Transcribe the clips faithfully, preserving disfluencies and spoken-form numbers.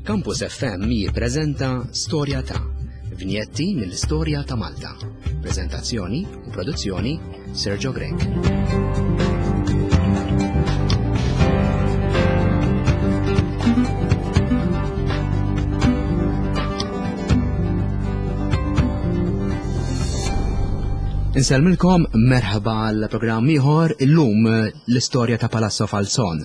Campus F M jippreżenta Storja ta' Vinjetti mill-Istorja ta' Malta. Prezentazzjoni u produzzjoni, Sergio Grech. Insellmilkom, merħba għal programm ieħor, illum l-istorja ta' Palazzo Falson.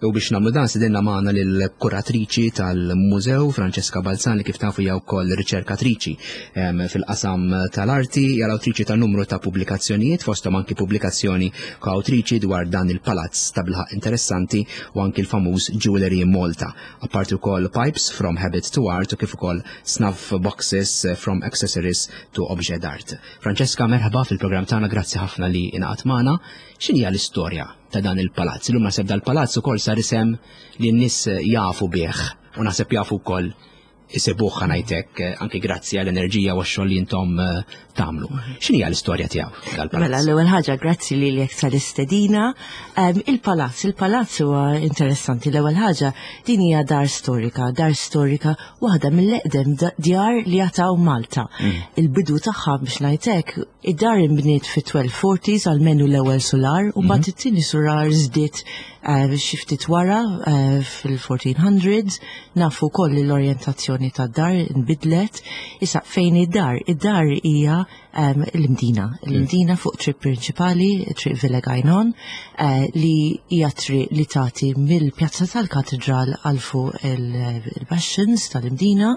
U biex nagħmlu dan stedinna magħna lill-kuratriċi tal-mużew, Francesca Balzan, li kif tafu hija wkoll riċerkatriċi fil-qasam tal-arti, hija l-awtriċi ta' numru ta' pubblikazzjonijiet, fosthom anki pubblikazzjoni koawtriċi dwar dan il-palazz ta' bilħaq interessanti u anki l-famuż Jewelry in Malta. Apparti wkoll Pipes from Habit to Art u kif ukoll Snuff Boxes from Accessories to Object d'Art. Francesca, merħba fil-programm tagħna, grazzi ħafna li ingħaqadt magħna. X'inhi l-istorja ta' dan il-palazz? Illum naħseb dal-palazz ukoll sar isem li n-nies jafu bih u naħseb jafu wkoll isibuh, ngħidlek, anki grazzi għall-enerġija u x-xogħol li intom eh, tagħmlu. X'inhi l-istorja tiegħu dal-palazz? Mela, l-ewwel ħaġa, grazzi lilek tal-istedina. Il-palazz, il-palazz huwa interessanti. L-ewwel ħaġa, din hija dar storika, dar storika waħda mill-eqdem djar li għad hawn Malta. Mm. Il-bidu tagħha, biex ngħidlek, id-dar inbniet fit-tnax forties, almenu l-ewwel solar, u mbagħad mhm. it-tieni solar żdied eh, xi ftit wara eh, fil-fourteen hundreds. Nafu wkoll li l-orjentazzjoni tad-dar nbidlet. Issa, fejn id-dar? Id-dar hija l-Imdina. L-Imdina fuq triq prinċipali, Triq Villegaignon, eh, li hija triq li tagħti mill-Pjazza tal-Katedral għal fuq il-Bastions tal-Imdina.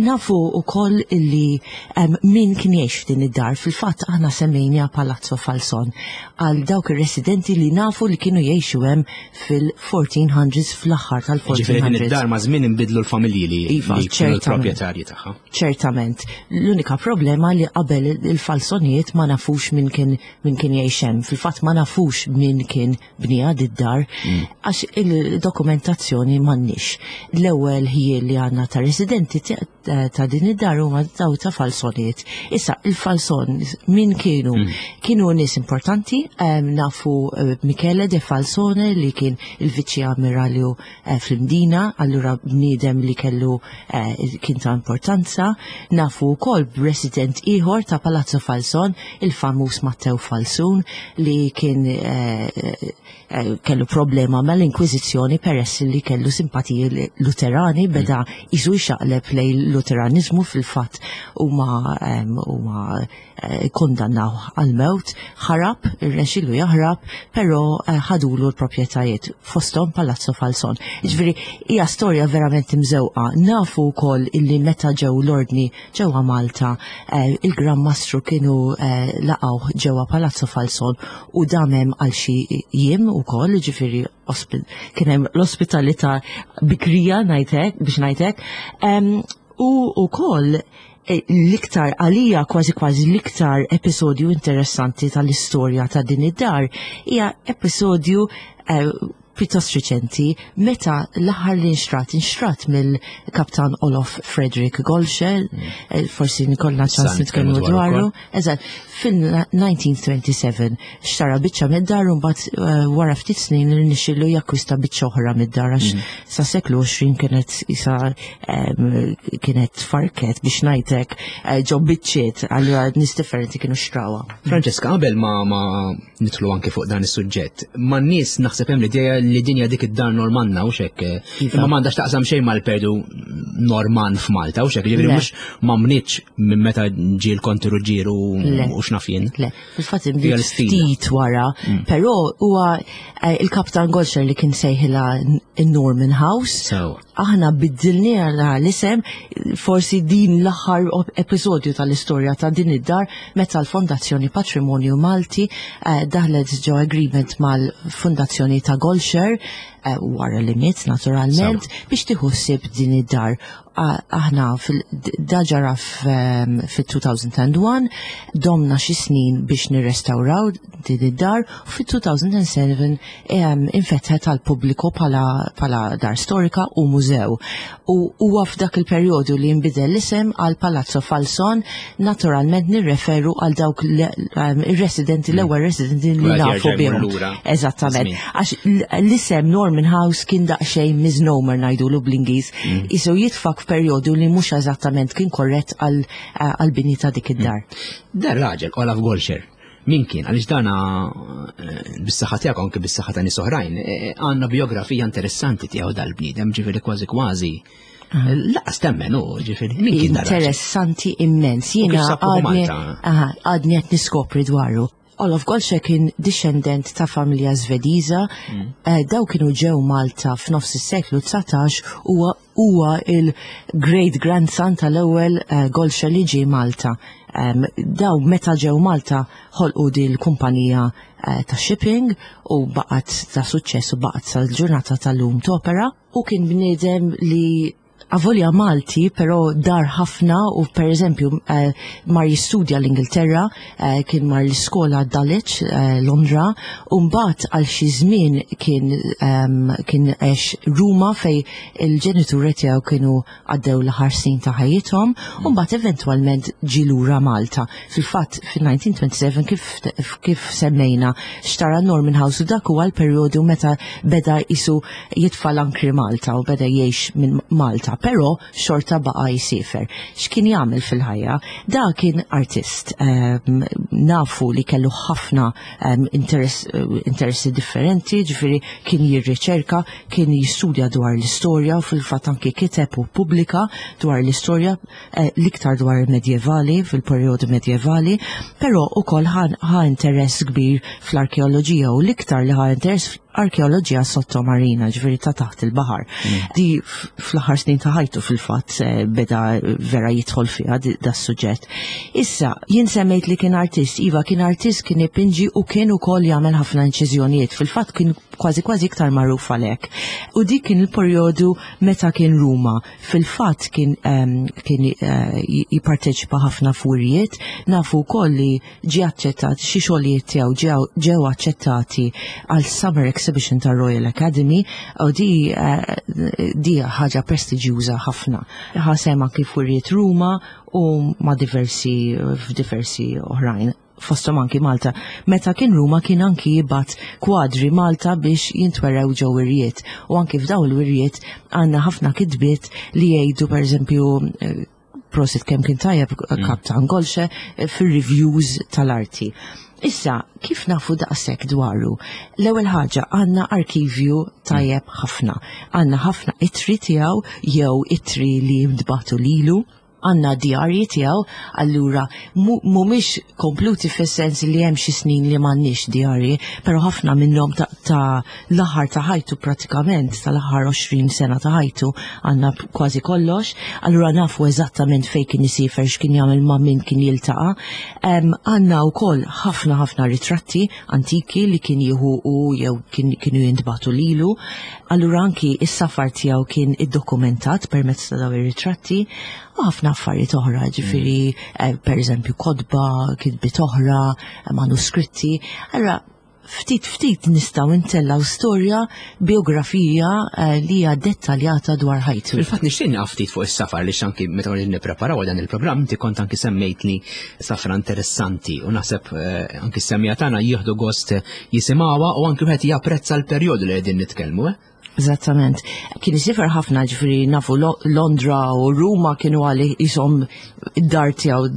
Nafu wkoll illi min kien jgħix f'din id-dar, fil-fatt aħna semmejna Palazzo Falson għal dawk ir-residenti li nafu li kienu jgħixu hemm fil-fourteen hundreds, fl-aħħar tal-fourteen hundreds. Id-dar ma' żmien inbidlu l-familji li iva, kienu l-proprjetarji tagħha. Ċertament. L-unika problema li qabel il-Falsonijiet ma nafux min kien min kien jgħix hemm. Fil-fatt ma nafux min kien bniha d-dar mm. għax il-dokumentazzjoni m'għandniex. L-ewwel ħjiel li għandna ta' residenti ta' din id-dar huma daw ta' Falsonijiet. Issa, il-Falson min kienu? Mm. Kienu nies importanti, nafu eh, Michele de Falsone li kien il-viċi ammiralju eh, fl-Imdina, allura bniedem li kellu eh, kien ta' importanza. Nafu wkoll resident ieħor ta' Palazzo Falson, il-famuż Matteo Falsun, li kien kellu problema mal-Inkwiżizzjoni peress li kellu simpatiji Luterani, beda iżu jxaqleb lejn Luteranizmu. Fil-fatt huma huma eh, kondannaw għal-mewt, ħarab, irnexxielu jaħrab, però eh, ħadulu l-proprjetajiet, fosthom Palazzo Falson. Ġifieri hija storja verament imżewqa. Nafu wkoll illi meta ġew l-ordni ġewwa Malta, eh, il-Gran Mastru kienu laqgħu ġewwa Palazzo Falson u dam hemm għal xi jiem ukoll, ġifieri kien hemm l-ospitalità bikrija ngħidlek, biex ngħidlek. U wkoll e, l-iktar għalija, kważi kważi l-iktar episodju interessanti tal-istorja ta' din id-dar hija episodju eh, pjuttost riċenti, meta l-aħħar li nxtrat, inxtrat mill-kaptan Olof Frederick Gollcher, mm. eh, forsi ikollna ċans nitkellmu dwaru. Eżatt, fil-elf disa' mija u seba' u disgħin xtara biċċa mid-dar u mbagħad eh, wara ftit snin irnexxielu jakkwista biċċa oħra mid-dar għax mm. sa seklu għoxrin kienet isa kienet farket, biex ngħidlek, eh, ġo biċċiet, allura nies differenti kienu xtrawha. Francesca, qabel ma ma nidħlu anke fuq dan is-suġġett, ma nies naħseb hemm l-idea li dinja dik id-dar Normanna u xek, Iva. imma m'għandax taqsam xejn mal-perdu Norman f'Malta u xek, ġifieri mhux ma mnitx minn meta ġie l-Konti Ruġġieru u x'naf jien. Le, fil-fatt inbniet ftit wara, mm. però huwa eh, il-Kaptan Gollcher li kien sejħilha Norman House. Aħna biddilniha l-isem, forsi din l-aħħar episodju tal-istorja ta' din id-dar, meta l-Fondazzjoni Patrimonju Malti eh, daħlet ġo agreement mal-Fondazzjoni ta' Gollcher, eh, wara li miet naturalment, biex tieħu ħsieb din id-dar. Aħna dan ġara fil-elfejn u wieħed, domna xi snin biex nirrestawraw din id-dar u fil-elfejn u sebgħa infetħet għal pubbliku bħala dar storika u mużew. mużew. U huwa f'dak il-perjodu li nbidel l-isem għal Palazzo Falson, naturalment nirreferu għal dawk ir-residenti, l-ewwel residenti li nafu bihom. Eżattament. Għax l-isem Norman House kien daqsxejn misnomer, ngħidulu bl-Ingliż. Isu jitfak f'perjodu li mhux eżattament kien korrett għal-bini ta' dik id-dar. Dar raġel, Olaf Gollcher. Min kien? Għaliex dana eh, bis-saħħa tiegħek, anke bis-saħħa ta' nies oħrajn, eh, għandna biografija interessanti tiegħu dal-bniedem, ġifieri kważi kważi. Lanqas temmen u ġifieri min kien dar? Interessanti immens. Jiena għadni qed niskopri dwaru. Olaf Gollcher kien discendent ta' familja Svediża, mm. eh, daw kienu ġew Malta f'nofs is-seklu dsatax u huwa il-great grandson tal-ewwel uh, Gollcher li ġie Malta. Um, daw meta ġew Malta ħolqu di l-kumpanija uh, ta' shipping u baqgħet ta' suċċess u baqgħet sal-ġurnata tal-lum topera, u kien bniedem li avolja Malti, pero dar ħafna u per eżempju uh, mar jistudja l-Ingilterra, uh, kien mar l-iskola Dulwich, uh, Londra, u mbagħad għal xi żmien kien um, kien għex Ruma fej il-ġenituri tiegħu kienu għaddew l-aħħar snin ta' ħajjithom, u mbagħad eventwalment ġie lura Malta. Fil-fatt fil-elf disa' mija u sbatax kif, kif semmejna xtara Norman House u dak huwa l-perjodu meta beda isu jitfa' l-ankri Malta u beda jgħix minn Malta, però xorta baqa jisifer. X'kien jagħmel fil-ħajja? Da kien artist. Um, nafu li kellu ħafna um, interess, interessi differenti, ġifieri kien jirriċerka, kien jistudja dwar l-istorja u fil-fatt anki kiteb u pubblika dwar l-istorja, eh, l-iktar dwar il-medjevali, fil-perjodu medjevali, però ukoll ħa interess kbir fl-arkeoloġija u l-iktar li ħa interess arkeoloġija sottomarina, ġifieri ta' taħt il-baħar. Mm. Di fl-aħħar snin ta' ħajtu fil-fatt eh, beda vera jidħol fiha da suġġett. Issa, jien semmejt li kien artist, iva, kien artist, kien ipinġi u kien ukoll jagħmel ħafna inċiżjonijiet. Fil-fatt kien kważi kważi iktar magħruf għalhekk. U dik kien il-perjodu meta kien Ruma. Fil-fatt kien um, kien uh, jipparteċipa ħafna f'wirjiet, nafu wkoll li ġie aċċettat, xi xogħlijiet tiegħu ġew aċċettati għal Summer Exhibition ta' Royal Academy u di uh, di ħaġa prestiġjuża ħafna. Ħa sehem anki f'wirjiet Ruma u ma' diversi f'diversi oħrajn, fostom anki Malta. Meta kien Ruma kien anki jibgħat kwadri Malta biex jintwerew ġo wirjiet. U anki f'daw il-wirjiet għandna ħafna kitbiet li jgħidu, per eżempju, eh, "Prosit kemm kien tajjeb mm. Kaptan Gollcher" eh, fir-reviews tal-arti. Issa, kif nafu daqshekk dwaru? L-ewwel ħaġa, għandna arkivju tajjeb ħafna. Għandna ħafna ittri tiegħu jew ittri li ntbagħtu lilu, għandna djarji tiegħu, allura mhumiex kompluti fis-sens li hemm xi snin li m'għandniex djarji, però ħafna minnhom ta', ta l-aħħar ta' ħajtu pratikament, tal-aħħar għoxrin sena ta' ħajtu għandna kważi kollox, allura nafu eżattament fejn kien isifer, x'kien jagħmel, ma' min kien jiltaqa'. Għandna wkoll ħafna ħafna ritratti antiki li kien jieħu u jew kienu jintbagħtu lilu. Allura anki is-safar tiegħu kien iddokumentat permezz ta' dawn ir-ritratti u ħafna affarijiet oħra, ġifieri eh, per eżempju kotba, kitbiet oħra, manuskritti. Allura ftit ftit nistgħu ntellgħu storja, biografija eh, li hija dettaljata dwar ħajtu. Fil-fatt nixtieq ftit fuq is-safar li anki meta nippreparaw dan il-programm inti kont anki semmejt li safra interessanti u naħseb eh, anki s-semmiegħa tagħna jieħdu gost jisimgħuha u anki wieħed japprezza l-perjodu li qegħdin nitkellmu. Eh? Eżattament. Kien isifer ħafna, ġifieri nafu Londra u Ruma kienu għalih jisom id-dar tiegħu,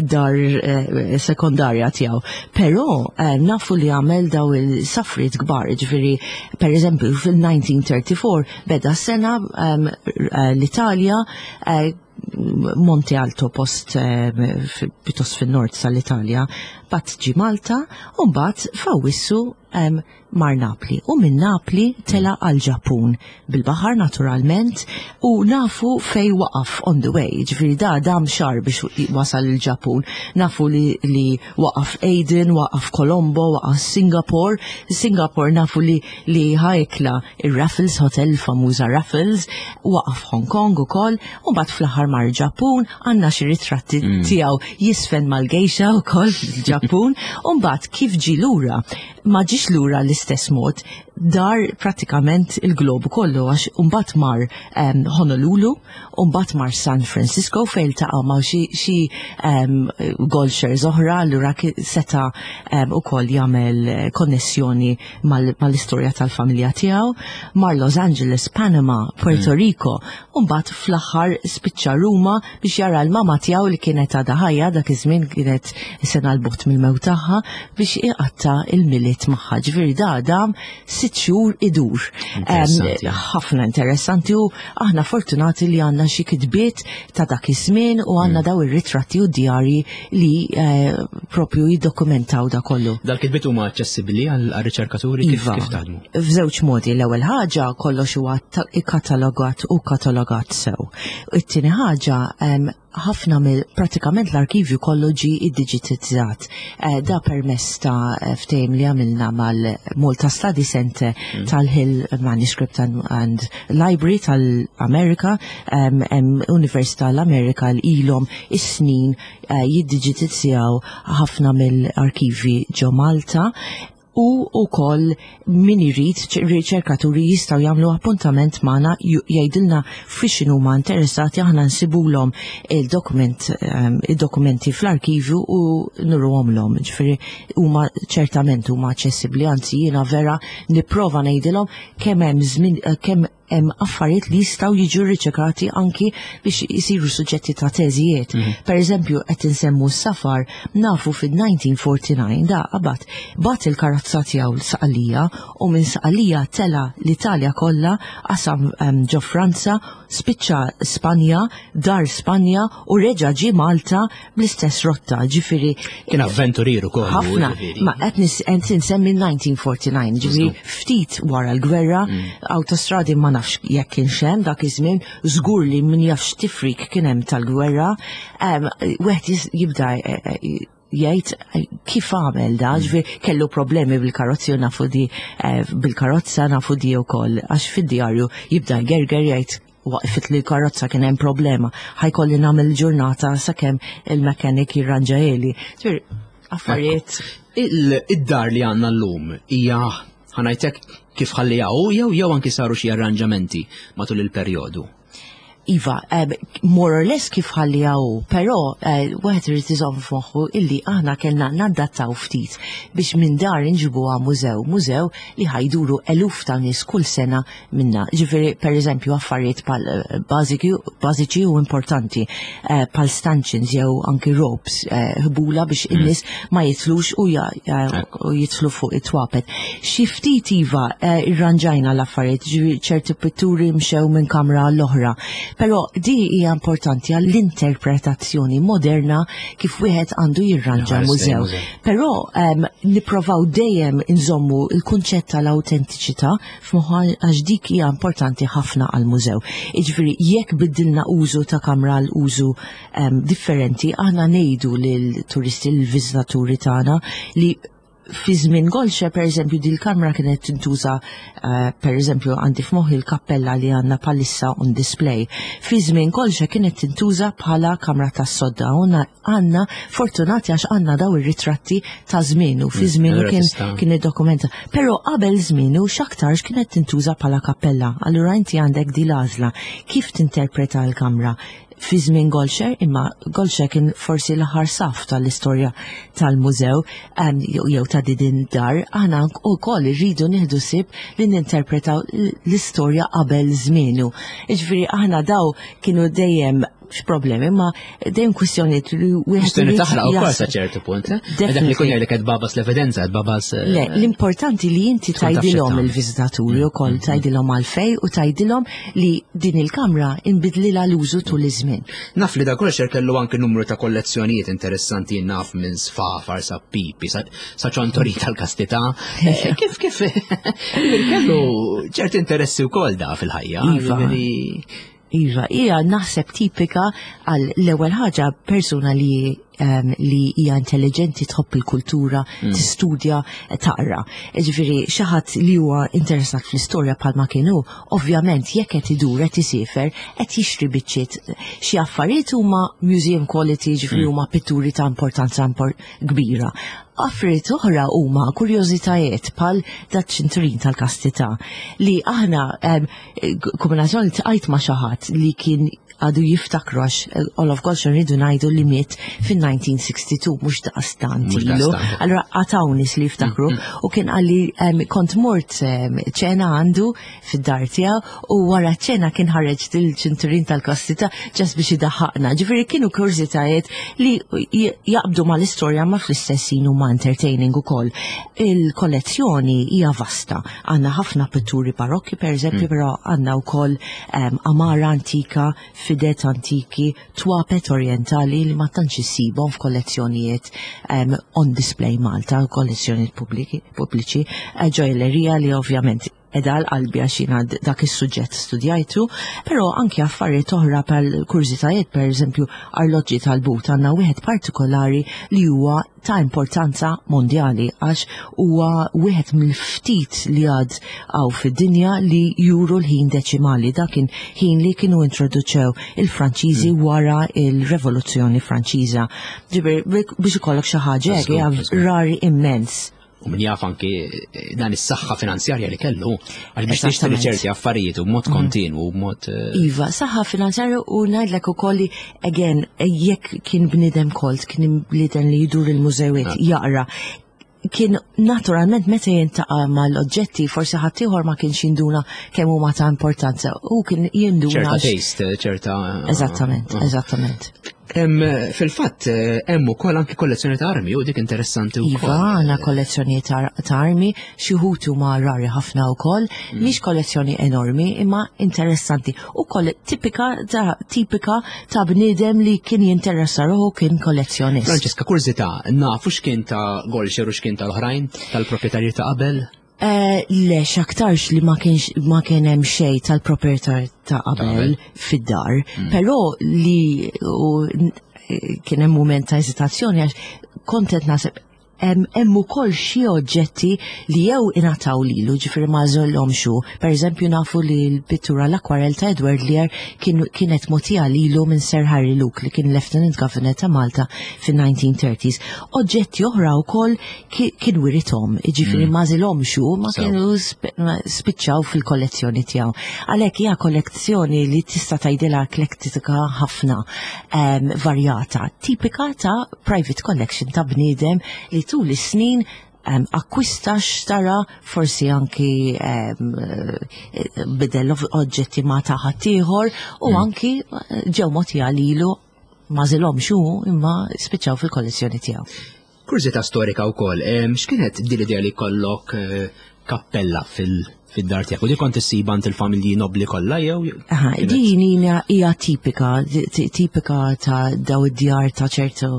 id-dar eh, sekondarja tiegħu. Però eh, nafu li għamel daw il-safriet kbar, ġifieri per eżempju fil-elf disa' mija u erbgħa u tletin beda sena eh, l-Italja, Monte Alto, post pjuttost fin-nord tal-Italja, mbagħad ġie Malta u mbagħad f'Awwissu mar Napli u minn Napli tela għal Ġapun bil-baħar naturalment u nafu fej waqaf on the way, ġifieri da dam xahar biex wasal il-Ġapun. Nafu li, li waqaf Aden, waqaf Colombo, waqaf Singapore. Singapore nafu li, li ħa ikla il-Raffles Hotel, famuża Raffles, waqaf Hong Kong u kollox, u mbagħad fl-aħħar mar Ġapun, għandna xi ritratti mm. tiegħu jiżfen mal-gejxa u kollox fil-Ġapun, u mbagħad kif ġie lura, ma ġiex lura l-istess mod, dar pratikament il-globu kollu, għax mbagħad mar um, Honolulu, mbagħad mar San Francisco fejn iltaqa' ma' xi xi um, Gollschers oħra, allura seta' um, ukoll jagħmel konnessjoni mal-istorja mal tal-familja tiegħu, mar Los Angeles, Panama, Puerto mm. Rico, u mbagħad fl-aħħar spiċċa Ruma biex jara l-mama tiegħu li kienet għadha ħajja dak iż-żmien, kienet sena 'l bogħod mill-mewt tagħha, biex iqatta' il-Milied magħha. Ġifieri da dam sitt xhur idur. Ħafna interessanti u aħna fortunati li għandna xi kitbiet ta' dak iż-żmien u għandna mm. daw ir-ritratti u djarji li eh, propju jiddokumentaw da kollu. Dal-kitbiet huma aċċessibbli għal-riċerkaturi, kif, iva, kif taħdmu? F'żewġ modi. L-ewwel ħaġa, kollox huwa ikkatalogat u katalogat sew. It-tieni ħaġa, ħafna mill pratikament l-arkivju kollu ġi iddiġitizzat. Eh, da permess ta' ftehim li għamilna mal-Malta Study Center mm. tal-Hill Manuscript and, and Library tal-Amerika, um, Università l-Amerika li ilhom is-snin uh, jiddiġitizzaw ħafna mill-arkivi ġo Malta, u ukoll min irid, riċerkaturi jistgħu jagħmlu appuntament magħna, jgħidilna fiex huma interessati, aħna nsibulhom il-dokument ehm, id-dokumenti fl-arkivju u nuruhomlhom. Ġifieri huma ċertament huma aċċessibbli, anzi jiena vera nipprova ngħidilhom kemm hemm żmien, kemm hemm affarijiet li jistgħu jiġu riċerkati anki biex jisiru suġġetti ta' teżijiet. Mm -hmm. Per eżempju, qed insemmu s-safar, nafu fil-elf disa' mija u disgħa u erbgħin da qabad bagħat il-karozza tiegħu Sqallija u minn Sqallija tela l-Italja kollha, qasam um, ġo Franza, spiċċa Spanja, dar Spanja u reġa' ġi Malta bl-istess rotta, ġifieri. Kien avventuriru kollu. Ħafna, ma qed insemmi elf disa' mija u disgħa u erbgħin, ġifieri ftit wara l-gwerra, mm. autostradi ma nafx jekk kien hemm dak iż-żmien, żgur li min jafx tifrik kien hemm tal-gwerra, wieħed jibda eh, eh, jgħid kif għamel da, mm. ġifieri kellu problemi bil-karozzi u nafu di eh, bil-karozza, nafu di wkoll għax fid-djarju jibda jgerger, jgħid waqfit li l-karozza, kien hemm problema, ħa jkolli nagħmel ġurnata sakemm il-mechanic jirranġahieli. Ġifieri affarijiet. Id-dar li għandna llum hija, ħa ngħidlek, kif ħalliha jew jew anki saru xi arranġamenti matul il-perjodu? Iva, um, more or less kif ħalliha hu, però uh, wieħed irid iżomm f'moħħu illi aħna kellna nadattaw ftit biex minn dar inġibuha mużew, mużew li ħa jduru eluf ta' nies kull sena minna. Ġifieri, per eżempju, affarijiet pal eh, bażiċi u importanti, uh, pal stanchions jew anki ropes, ħbula uh, biex mm. in-nies ma jitlux u, ja, u jitlu fuq it-twapet. Xi ftit iva uh, irranġajna l-affarijiet, ġifieri ċerti pitturi mxew minn kamra l-oħra. Però di hija importanti għall-interpretazzjoni moderna kif wieħed għandu jirranġa mużew. Però um, nipprovaw dejjem inżommu il-kunċett tal-autentiċità f'moħħa għax dik hija importanti ħafna għall-mużew. Jiġifieri jekk biddilna użu ta' kamra l użu um, differenti, aħna ngħidu lil-turisti, l-viżitaturi tagħna li fi żmien Gollscher, per eżempju, di l-kamra kienet tintuża, uh, per eżempju, għandi f'moħħi l-kappella li għandna bħalissa on display. Fi żmien Gollscher kienet tintuża bħala kamra tas-sodda. Għandna fortunati għax għandna daw ir-ritratti ta' żmienu, fi mm, żmienu kien kien id-dokumenta. Però qabel żmienu x'aktarx kienet tintuża bħala kappella. Allura inti għandek di l-għażla kif tinterpreta l-kamra fi żmien Gollscher, imma Gollscher kien forsi l-aħħar saf tal-istorja tal-mużew jew ta' din dar, aħna wkoll irridu nieħdu ħsieb li ninterpretaw l-istorja qabel żmienu. Jiġifieri aħna daw kienu dejjem problemi, ma dejjem kwistjoni li wieħed irid taħraq ukoll sa ċertu punt. Eh? Dak li kun jgħidlek qed babas l-evidenza, qed babas. Eh, Le, l-importanti li inti tgħidilhom il-viżitaturi mm, ukoll, mm, mm. tgħidilhom għalfej u tgħidilhom li din il-kamra inbidlilha l-użu tul iż-żmien. Naf li da Gollscher kellu anke numru ta' kollezzjonijiet interessanti, naf minn sfafar sa pipi sa ċontori tal-kastità. Eh, kif kif kellu ċerti interessi wkoll da fil-ħajja. Iva. Iva, hija naħseb tipika għal l-ewwel ħaġa persuna li um, li hija intelligenti, tħobb il-kultura, mm. tistudja, taqra. Ġifieri xi ħadd li huwa interessat fl-istorja bħalma kienu, ovvjament jekk qed idur, qed isifer, qed jixtri biċċiet. Xi affarijiet huma museum quality, ġifieri mm. huma pitturi ta' importanza kbira. Affarijiet oħra huma kurjożitajiet bħal dat ċinturin tal-kastità li aħna kombinazzjoni tqajt ma' xi ħadd li kien għadu jiftakru, għax eh, Olof Goldschön rridu ngħidu li miet fin-elf disa' mija u sitta u sittin, mhux daqstant ilu. Allura għad hawn nies li jiftakru mm, mm. u kien qalli kont mort ċena għandu fid-dar tiegħu u wara ċena kien ħareġ il-ċinturin tal-kastità just biex idaħħaqna. Ġifieri kienu kurżitajiet li jaqbdu mal-istorja ma fl-istess huma entertaining ukoll. Il-kollezzjoni hija vasta. Għandna ħafna pitturi barokki per eżempju, mm. però għandna wkoll għamara antika, fidet antiki, twapet orientali li ma tantx issibhom f'kollezzjonijiet um, on display Malta, kollezzjonijiet pubbliċi, eh, ġojellerija li ovvjament edha l-qalbi għax jiena dak is-suġġett studjajtu, però anki affarijiet oħra bħal kurżitajiet, per eżempju, arloġġi tal-but. Għandna wieħed partikolari li huwa ta' importanza mondjali għax huwa wieħed mill-ftit li għad hawn fid-dinja li juru l-ħin deċimali. Dak kien ħin li kienu introduċew il-Franċiżi mm. wara il-Revoluzzjoni Franċiża. Ġifieri biex ikollok xi ħaġa hekk rari immens. U min jaf anki eh, dan is-saħħa finanzjarja li kellu għax biex tixtri ċerti affarijiet u b'mod mm. kontinwu u b'mod eh, Iva, saħħa finanzjarja u ngħidlek ukoll li again jekk kien bniedem kolt, kien bniedem li jdur il-mużewiet, ah. jaqra, kien naturalment meta jiltaqa' mal-oġġetti forsi ħaddieħor ma kienx jinduna kemm huma ta' importanza u kien jinduna. Ċerta taste, ċerta. Eżattament, eżattament. Fil-fatt, hemm ukoll anki kollezzjoni ta' armi u dik interessanti wkoll. Iva, għandna kollezzjoni ta' armi, xi wħud huma rari ħafna wkoll, mm. mhix kollezzjoni enormi imma interessanti. U koll tipika ta' tipika ta' bniedem li kien jinteressa ruħu, kien kollezzjonist. Francesca, kurżità, nafu x'kien ta' Gollcher u x'kien tal-oħrajn tal-proprjetarji ta' qabel? Eh, le, x'aktarx li ma kienx ma kien hemm xejn tal-proprjetar ta' qabel fid-dar, mm. però li u, kien hemm mument ta' eżitazzjoni għax kont qed naħseb hemm ukoll xi oġġetti li jew ingħataw lilu, ġifieri ma żollhomx hu. Pereżempju, nafu li l-pittura l-akwarell ta' Edward Lear kienet mogħtija lilu minn Sir Harry Luke li kien Lieutenant Governor ta' Malta fin-nineteen thirties. Oġġetti oħra wkoll kien wirithom, ġifieri mm. ma żilhomx hu, ma kienu spiċċaw fil-kollezzjoni tiegħu. Għalhekk hija kollezzjoni li tista' tgħidilha eklektika ħafna, varjata, tipika ta' private collection ta' bniedem li tul is-snin um, akkwista, xtara, forsi anki um, bidel oġġetti ma ta' ħaddieħor u mm. anki ġew mogħtija lilu, ma żilhomx hu imma spiċċaw fil-kollezzjoni tiegħu. Kurżità storika wkoll, x'kienet din l-idea li kollok eh, kappella fil- fid-dar tiegħek? U di kont issib għand il-familji nobli kollha jew? Aha, din hija tipika, tipika ta' daw id-djar ta' ċertu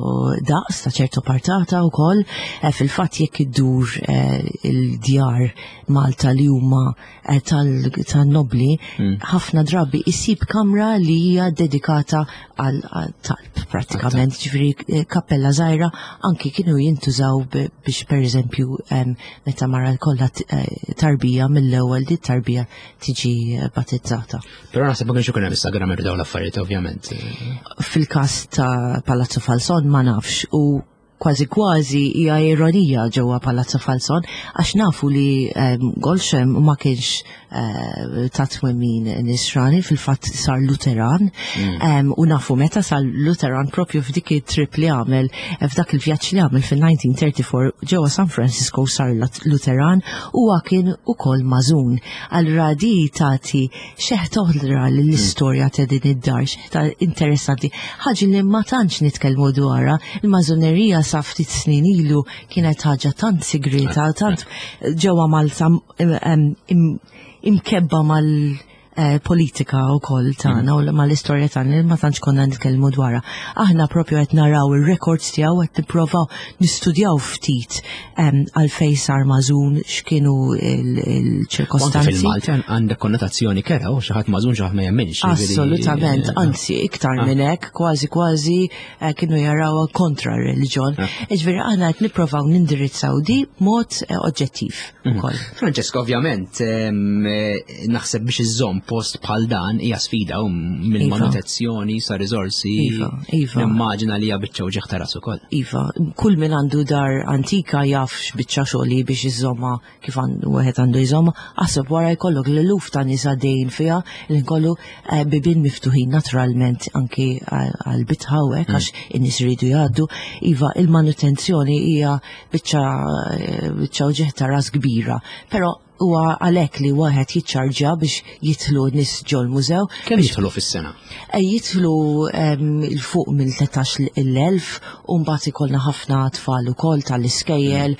daqs, ta' ċertu portata wkoll. Eh, fil-fatt jekk iddur eh, il-djar Malta li huma eh, tal-nobli, hmm. ħafna drabi isib kamra li hija dedikata għal talb prattikament, ġifieri kappella żgħira, anki kienu jintużaw biex pereżempju meta mara kollha tarbija, mill-ewwel di tarbija tiġi battezzata. Però naħseb ma kienx ikun hemm Instagram dawn l-affarijiet, ovvjament. Fil-każ ta' Palazzo Falson ma nafx u kważi kważi hija ironija ġewwa Palazzo Falson għax nafu li um, Gollcher ma kienx uh, ta' twemmin nisrani, fil-fatt sar Luteran mm. um, u nafu meta sar Luteran, propju f'dik it-trip li għamel, f'dak il-vjaġġ li għamel fil-elf disa' mija u tlieta u erbgħin ġewwa San Francisco sar Luteran u kien ukoll mażun. Allura di tagħti xeħta oħra l-istorja ta' din id-dar, xeħta interessanti, ħaġa li ma tantx nitkellmu dwarha. Il-mażunerija sa ftit snin ilu kienet ħaġa tant sigrita, tant ġewwa Malta imkebba mal eh, politika u koll tagħna u mal-istorja tagħna li ma tantx konna nitkellmu dwarha. Aħna propju qed naraw ir-records tiegħu, qed nipprovaw nistudjaw ftit għalfejn sar mażun, x'kienu il-ċirkostanzi. Fil-Malti għandek konnotazzjoni kerha u xi ħadd mażun, xi ħadd ma jemminx. Assolutament, anzi iktar ah. minn hekk, kważi kważi eh, kienu jarawha kontra r-reliġjon. Ah. Ġifieri aħna qed nipprovaw nindirizzaw di mod eh, oġġettiv mhm. ukoll. Francesca, ovvjament, naħseb biex iżżomm post bħal dan hija sfida u mill-manutenzjoni sa riżorsi. Iva, iva. Nimmaġina li hija biċċa uġigħ ta' ras ukoll. Iva, kull min għandu dar antika jaf x'biċċa xogħol biex iżomma kif wieħed għandu jżomma, aħseb wara jkollok l-eluf ta' nies għaddejjin fiha li nkollu eh, bibien miftuħin naturalment anki għal bitħa u hekk għax in-nies iridu jgħaddu. Iva, il-manutenzjoni hija biċċa eh, biċċa uġigħ ta' ras kbira, però huwa għalhekk li wieħed jiċċarġja biex jidħlu nies ġol-mużew. Kemm jidħlu fis-sena? Eh, jidħlu 'l fuq minn tlettax-il elf u mbagħad ikollna ħafna tfal ukoll tal-iskejjel,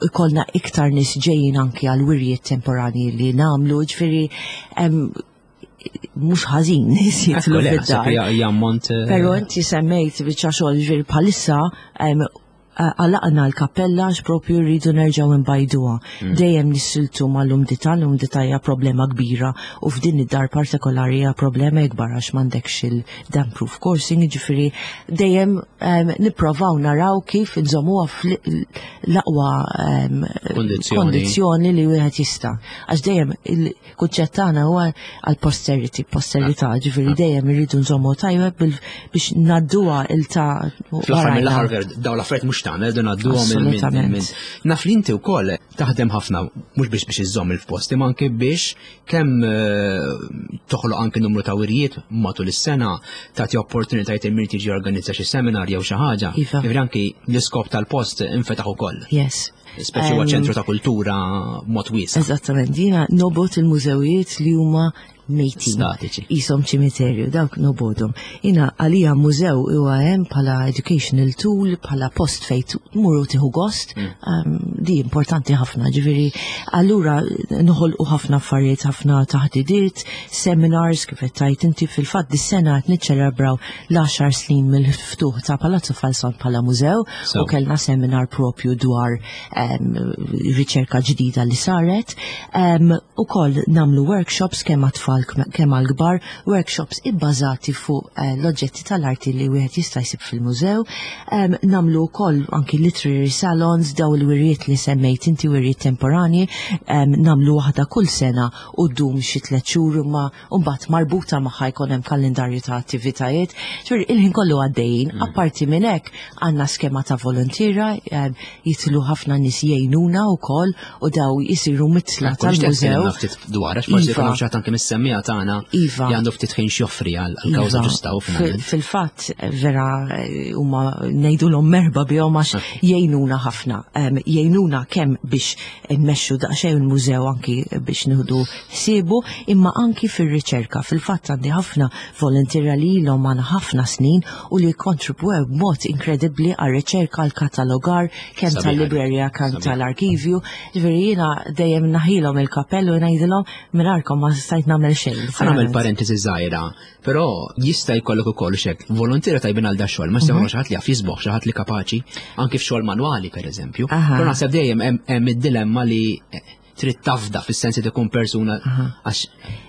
ikollna iktar nies ġejjin anki għal wirjiet temporani li nagħmlu, ġifieri mhux ħażin nies jidħlu fid-dar. Jammont. Eh, Però inti semmejt biċċa xogħol, ġifieri bħalissa għalaqna l-kappella għax propju rridu nerġaw nbajduha. Mm. Dejjem nissieltu mal-umdità, l-umdità hija problema kbira u f'din id-dar partikolari hija problema ikbar għax m'għandekx il-damp proof coursing, ġifieri dejjem nipprovaw naraw kif nżommuha fl-aqwa kondizzjoni li wieħed jista'. Għax dejjem il-kunċett tagħna huwa għal posterity, posterità, ah. ġifieri ah. dejjem irridu nżommu tajjeb biex ngħadduha il ta' Fl-aħħar mill-aħħar dawn l-affarijiet mhux tagħmel dun għadduhom minn. Naf li inti wkoll taħdem ħafna mhux biex biex iżżomm il-post, imma anke biex kemm eh, toħloq anke numru ta' wirjiet matul is-sena, tagħti opportunitajiet il min tiġi organizza xi seminar jew xi ħaġa. Iva. Ġifieri anki l-iskop tal-post infetaħ ukoll. Yes. Speċi huwa ċentru ta' kultura mod wiesa'. Eżattament, jiena nobgħod il-mużewijiet li huma mejtin. Statiċi. Qishom ċimiterju, dawk nobgħodhom. Jiena għalija mużew huwa hemm bħala educational tool, bħala post fejn tmur u tieħu gost, mm. um, di importanti ħafna, ġifieri allura noħolqu ħafna affarijiet, ħafna taħdidiet, seminars kif qed tgħid inti. Fil-fatt dis-sena qed niċċelebraw l-għaxar snin mill-ftuħ ta' Palazzo Falson bħala mużew u kellna seminar propju dwar um, riċerka ġdida li saret. Um, Ukoll nagħmlu workshops kemm għat-tfal kemm għal-kbar, workshops ibbażati fuq uh, l-oġġetti tal-arti li wieħed jista' jsib fil-mużew. Um, nagħmlu wkoll anki literary salons, daw il-wirjiet li semmejt inti, wirjiet temporani, um, nagħmlu waħda kull sena u ddum xi tliet xhur ma mbagħad marbuta magħha jkun hemm kalendarju ta' attivitajiet. Ġifieri il-ħin kollu għaddejjin. Mm. Apparti minn hekk għandna skema ta' volontiera, um, jidħlu ħafna nies jgħinuna wkoll u daw jisiru mitla tal-mużew. Ftit dwar, għax forsi jkun xi anke mis-semmiegħa tagħna Iva. li għandu ftit ħin x'joffri għal-kawża Iva. ġusta u Fil- Fil-fatt, vera, huma ngħidulhom merħba bihom għax jgħinuna ħafna. Em, Jgħinuna kemm biex nmexxu daqsxejn il-mużew, anki biex nieħdu ħsiebu, imma anki fir-riċerka. Fil-fatt għandi ħafna volontiera li ilhom magħna ħafna snin u li kontribwew b'mod inkredibbli għar-riċerka, għal-katalogar, kemm Sabiħ. tal-librerija kemm Sabiħ. tal-arkivju. Ġifieri jiena dejjem naħilhom il-kappellu u ngħidilhom mingħajrkom ma stajt nagħmel xejn. Ħa nagħmel parentesi żgħira, però jista' jkollok ukoll xek volontiera tajbin għal da xogħol, ma jista' xi ħadd li jaf jisboħ, xi ħadd li kapaċi anke f'xogħol manwali, pereżempju. Aha. Però naħseb dejjem hemm hemm id-dilemma li eh, trid tafda fis-sens li tkun persuna, għax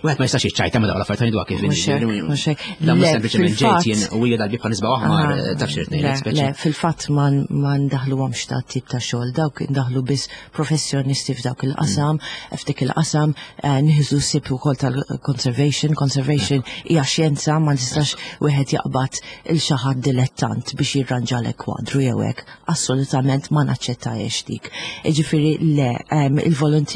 wieħed ma jistax jiċċajta ma dawn l-affarijiet, ngħidu kif. Mhux hekk, mhux hekk. Dan mhux Le, sempliċement ġejt fil-fatt- jien u hija dal-bib nisba' aħmar, Ah, taf x'irid le, ngħid speċi. Le, fil-fatt ma ma ndaħluhomx ta' tip ta' xogħol, dawk ndaħlu biss professjonisti f'dawk il-qasam, f'dik il-qasam, eh, nieħdu ħsieb ukoll tal-conservation. Conservation hija xjenza, ma nistax wieħed jaqbad il xi ħadd dilettant biex jirranġalek kwadru jew hekk. Assolutament ma naċċettajiex dik. Ġifieri le, em, il-volontiera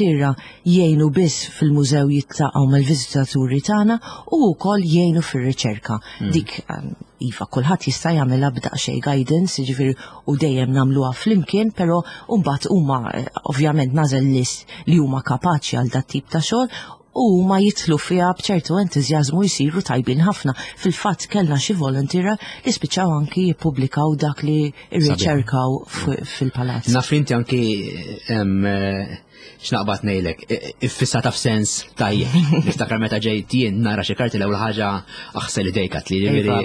jgħinu biss fil-mużew, jiltaqgħu mal-viżitaturi tagħna u wkoll jgħinu fir-riċerka. Dik em, iva, kulħadd jista' jagħmilha b'daqsxejn guidance, jiġifieri u dejjem nagħmluha flimkien, però mbagħad huma eh, ovvjament nagħżel nies li huma kapaċi għal dat tip ta' xogħol u ma jidħlu fiha b'ċertu entużjażmu, jsiru tajbin ħafna. Fil-fatt kellna xi volontiera li spiċċaw anki jippubblikaw dak li rriċerkaw fil-palazz. Naf li inti anki em, eh, x'naqbad ngħidlek, iffissata f'sens tajjeb. Niftakar meta ġejt jien nara xi karti, l-ewwel ħaġa aħsel idejk li Iva,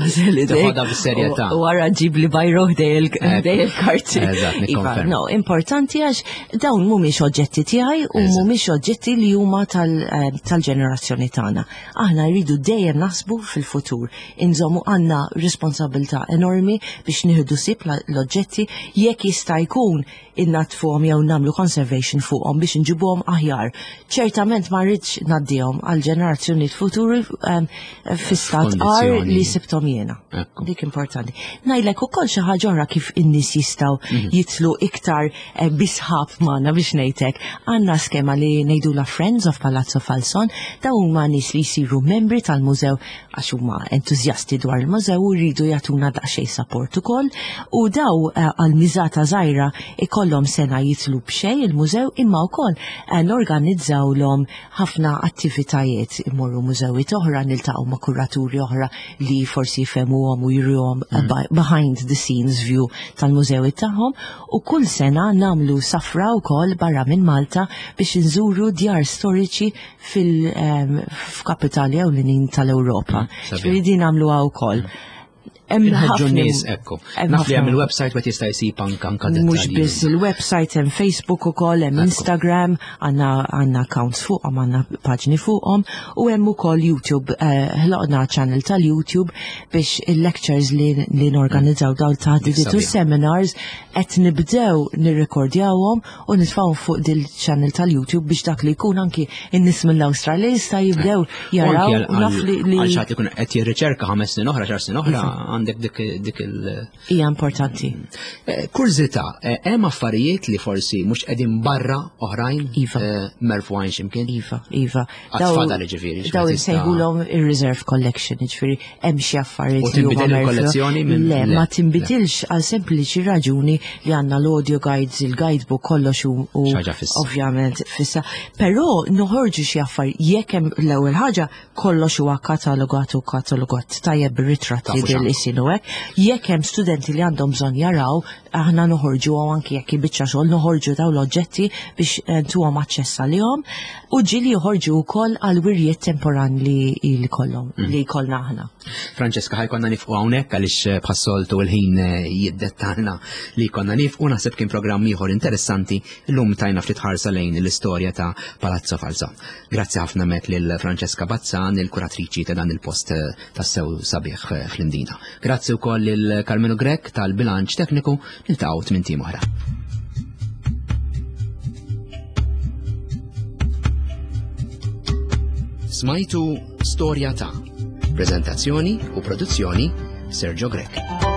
ġifieri teħodha bis-serjetà. U wara ġib li bajro ħdej il-karti. Eżatt, Iva, nikkonferma. no, importanti għax dawn mhumiex oġġetti tiegħi u Eżatt. mhumiex oġġetti li huma tal- eh, tal-ġenerazzjoni tagħna. Aħna rridu dejjem naħsbu fil-futur. Inżommu, għandna responsabilità enormi biex nieħdu ħsieb la- l-oġġetti, jekk jista' jkun innaddfuhom jew nagħmlu conservation. fuqhom biex nġibuhom aħjar. Ċertament ma rridx ngħaddihom għal ġenerazzjonijiet futuri um, fi stat agħar F'kondizzjoni. li sibthom jiena. Ekku. Dik importanti. Ngħidlek ukoll xi ħaġa oħra kif in-nies jistgħu Mhm. jidħlu iktar eh, bi sħab magħna biex ngħidlek. Għandna skema li ngħidula Friends of Palazzo Falson, dawn huma nies li jsiru membri tal-mużew għax huma entużjasti dwar il-mużew u jridu jagħtuna daqsxejn support ukoll u daw eh, għal miżata żgħira ikollhom sena jidħlu b'xejn il-mużew imma wkoll eh, norganizzawlhom ħafna attivitajiet imorru mużewiet oħra niltaqgħu ma' kuraturi oħra li forsi jfehmuhom u juruhom eh, behind the scenes view tal-mużewiet tagħhom u kull sena nagħmlu safra wkoll barra minn Malta biex nżuru djar storiċi fil-kapitali ewlenin tal-Ewropa. sabiħ. Ġifieri din nagħmluha wkoll. Hemm Inħeġġu ħafna- n-nies ekku. hemm Naf li ħafna- hemm il-website wieħed jista' jsib anka anka Mhux dettalji. biss il-website, hemm Facebook ukoll, hemm Instagram, għandna għandna accounts fuqhom, għandna paġni fuqhom, u hemm ukoll YouTube, eh, ħloqna channel tal-YouTube biex il-lectures li, li norganizzaw dawn taħdidiet u Sabiħ. seminars qed nibdew nirrekordjawhom u nitfgħu fuq dil-channel tal-YouTube biex dak li jkun anki in-nies mill-Awstralja jista' jibdew jaraw Anki u naf li li għal xi ħadd ikun qed jirriċerka ħames snin oħra, għaxar snin oħra, għandek dik dik il- hija importanti. Eh, Kurżità, eh, hemm affarijiet li forsi mhux qegħdin barra oħrajn Iva. eh, merfugħin x'imkien? Iva, Iva. Għad fadal ġifieri, Daw x'wieħed jista' insejħulhom il-reserve collection, ġifieri hemm xi affarijiet U li huma tinbidel merfu- il-kollezzjoni minn- Le, le, ma tinbidilx għal sempliċi raġuni li għandna l-audio guides, il-guidebook, kollox u u Xi ħaġa fissa. ovvjament fissa. Però noħorġu xi affarijiet jekk hemm l-ewwel ħaġa kollox huwa katalogat u katalogat tajjeb bir-ritratti Tafu x'għandu. bil-isin u hekk. Jekk hemm studenti li għandhom bżonn jaraw, aħna noħorġu u anki jekk biċċa xogħol noħorġu daw l-oġġetti biex eh, ntuhom aċċess għalihom u ġieli joħorġu wkoll għal wirjiet temporan li li kollhom li jkollna aħna. Francesca, ħa jkollna nieqfu hawnhekk għaliex eh, bħas-soltu il-ħin eh, jiddettalna li konna nieqfu naħseb kien programm ieħor interessanti llum tajna ftit ħarsa lejn l-istorja ta' Palazzo Falson. Grazzi ħafna mek lil Francesca Bazzan, il-kuratriċi ta' dan il-post eh, tassew sabiħ eh, fl-Imdina. Grazzi wkoll lil Carmelo Grech tal-bilanċ tekniku niltaqgħu tmint ijiem oħra. Smajtu Storja ta' Prezentazzjoni u produzzjoni Sergio Grech.